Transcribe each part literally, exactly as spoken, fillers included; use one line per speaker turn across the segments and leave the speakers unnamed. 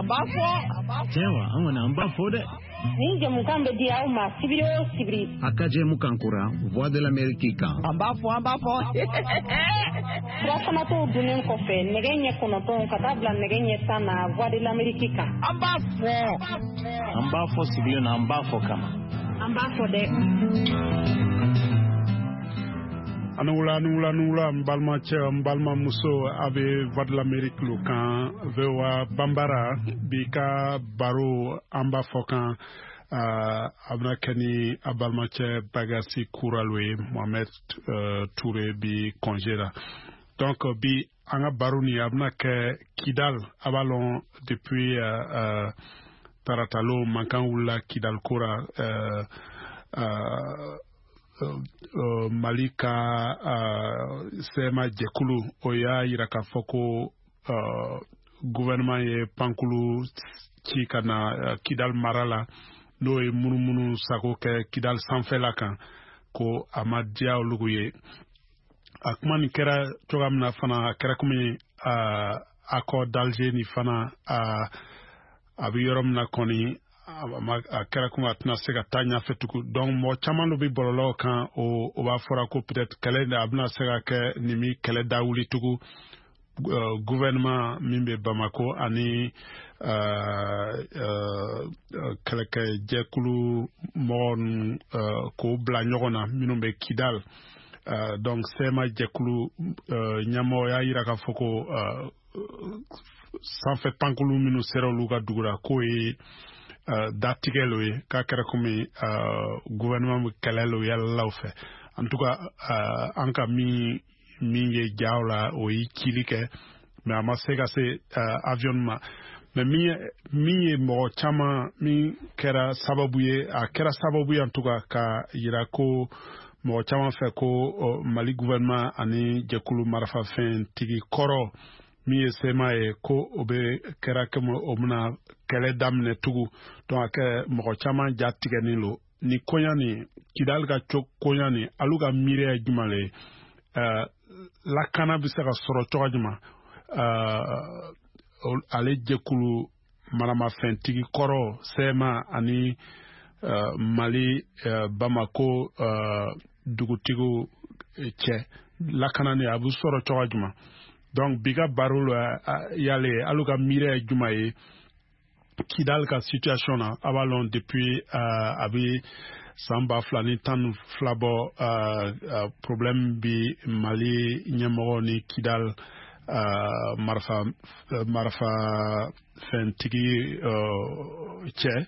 An b'a fɔ.
Tiɲɛ wa, an kɔni an b'a fɔ dɛ.
Nin jɛmukan bɛ di aw ma sibiri o sibiri.
A ka jɛmukan kura Voix de l'Amérique kan.
An b'a fɔ, an b'a fɔ.
Furafanatɔw dunnen kɔfɛ nɛgɛ ɲɛ kɔnɔntɔn ka taa bila nɛgɛ ɲɛ tan na Voix de l'Amérique kan.
An b'a fɔ.
An b'a fɔ sigilen na, an b'a fɔ kama.
An b'a fɔ dɛ.
Ani wula, ani wula, ani wula, n balimacɛ, n balimamuso, a bɛ Voix de l'Amérique lo kan, V O A Banbara. Bi ka baro an b'a fɔ kan, a bɛna kɛ ni a balimacɛ Bagasi Kuralo ye. Mohamed Touré bi congé la. Donc bi an ka baro nin a bɛna kɛ Kidal. A b'a lɔn, depuis uh, uh, taratalo mankan wulila Kidal ko ra, uh, uh, Uh, Mali ka uh, C M A jɛkulu o y'a yira k'a fɔ ko uh, gouvernement ye pankulu ci ka na uh, Kidal mara la, n'o ye munumunu sago kɛ Kidal sanfɛla kan, ko a ma diya olu ye. A kuma nin kɛra cogoya min na fana, a kɛra komi uh, accord d'Alger ni fana uh, a bɛ yɔrɔ min na kɔni, a kɛra komi a tɛna se ka taa ɲɛfɛ tugun. Donc mɔgɔ caman dɔ bɛ bɔlɔlɔw kan, o o b'a fɔra ko peut-être kɛlɛ a bɛna se ka kɛ nin mi kɛlɛ da wuli tugun, gouvernement min bɛ Bamako ani kɛlɛkɛjɛkulu mɔgɔ ninnu k'o bila ɲɔgɔn na minnu bɛ Kidal. Donc C M A jɛkulu ɲɛmɔgɔ y'a yira k'a fɔ ko sanfɛ pankulu minnu sera olu ka dugu la, k'o ye Uh, datigɛ lo ye, k'a kɛra komi uh, gouvernement bɛ kɛlɛ lo yalalaw fɛ. En tout cas, uh, an ka min min ye jaw la, o ye cili kɛ, mais a ma se ka se uh, avion ma. Mais min ye min ye mɔgɔ caman min kɛra sababu ye, a kɛra sababu ye en tout cas ka yira ko mɔgɔ caman fɛ ko uh, Mali gouvernement ani jɛkulu marafafɛntigi kɔrɔ min ye C M A ye, ko o bɛ kɛra komi o bɛna kɛlɛ daminɛ tugun. Donc a kɛ mɔgɔ caman ja tigɛnin lo ni koɲa nin. Kidali ka co koɲa nin, alu ka miiriya ye jumɛn le ye? uh, lakana bɛ se ka sɔrɔ cogo jumɛn, uh, ale jɛkulu maramafɛntigi kɔrɔ C M A ani uh, Mali uh, Bamako uh, dugutigiw cɛ, lakana ni a bɛ sɔrɔ cogo jumɛn? Donc bi ka baro la yale, alu ka miiriya ye jumɛn ye Kidal ka situation na? A b'a lɔn, depuis uh, a bɛ san ba fila ni tan ni fila bɔ, uh, uh, problème bi Mali ɲɛmɔgɔ ni Kidal uh, marifa marifa fɛntigi uh, cɛ.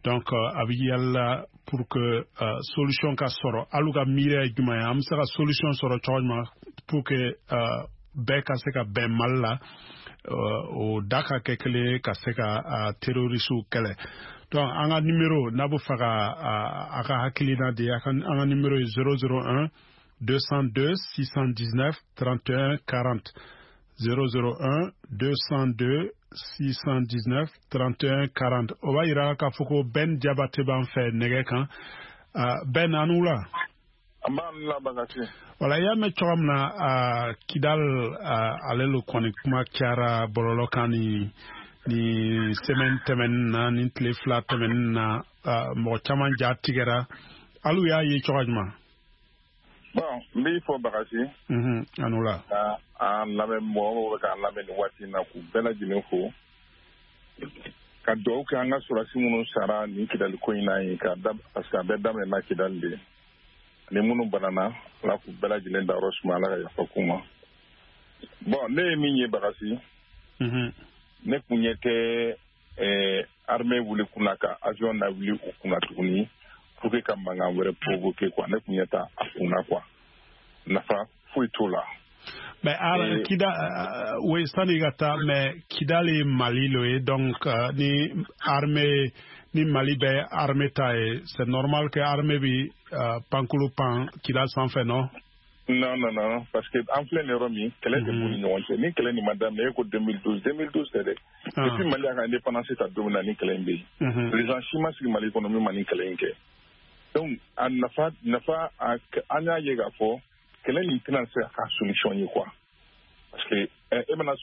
Donc uh, a bɛ yala pour que uh, solution ka sɔrɔ. Alu ka miiriya ye jumɛn ye? An bɛ se ka solution sɔrɔ cogo jumɛn pour que uh, bɛɛ ka se ka bɛn Mali la, o da ka kɛ kelen ye, ka se ka terroristew kɛlɛ? Donc an ka numéro, n'a bɛ fɛ ka a ka hakilina di, an ka numéro ye zéro zéro un deux cent deux six cent dix-neuf trente et un quarante, zéro zéro un deux cent deux six cent dix-neuf trente et un quarante. O b'a yira k'a fɔ ko Ben Jabate b'an fɛ nɛgɛ kan. Ben, an wula.
An b'a la, Bagasi.
Wala, i y'a mɛn cogoya min na, Kidal ale lo kɔni kuma cayara bɔlɔlɔ kan ni ni semaine tɛmɛnin na, ni tile fila tɛmɛnin na. Mɔgɔ caman ja tigɛra. Alu y'a ye cogoya jumɛn?
Bon, n b'i fɔ, Bagasi.
A n'o la.
Ka an lamɛn, mɔgɔ mɔgɔ bɛ k'an lamɛn nin waati in na, k'u bɛɛ lajɛlen fo, ka dugawu kɛ an ka sɔrɔdasi minnu sara nin Kidali ko in na ye, ka da parce que a bɛɛ daminɛna Kidali de. Ani minnu banana, Ala k'u bɛɛ lajɛlen dayɔrɔ suma, Ala ka yafa k'u ma. Bon, ne ye min ye, Bagasi, ne kun ɲɛ tɛ ɛɛ armée wuli kunna ka avion na wuli u kunna tuguni pour que ka mankan wɛrɛ provoquer quoi. Ne kun ɲɛ t'a a kunna quoi, nafa foyi t'o la.
Mais ah, Kida, uh, oui, sani ka taa, mais Kidal ye Mali lo ye. Donc uh, ni armée ni Mali bɛ armée ta ye, c'est normal que armée bi uh, pankulu pan Kidal sanfɛ, non?
Non, non, non, parce que an filɛ nin yɔrɔ min, kɛlɛ tɛ b'u ni ɲɔgɔn cɛ. Ni kɛlɛ nin ma daminɛ, e ko deux mille douze, deux mille douze tɛ dɛ. Depuis Mali y'a ka indépendance ta don min na, ni kɛlɛ in bɛ yen. Président si ma sigi Mali kɔnɔ min ma nin kɛlɛ in kɛ. Donc a nafa nafa an y'a ye k'a fɔ kɛlɛ nin tɛna se ka k'a solution ye quoi, parce que e bɛna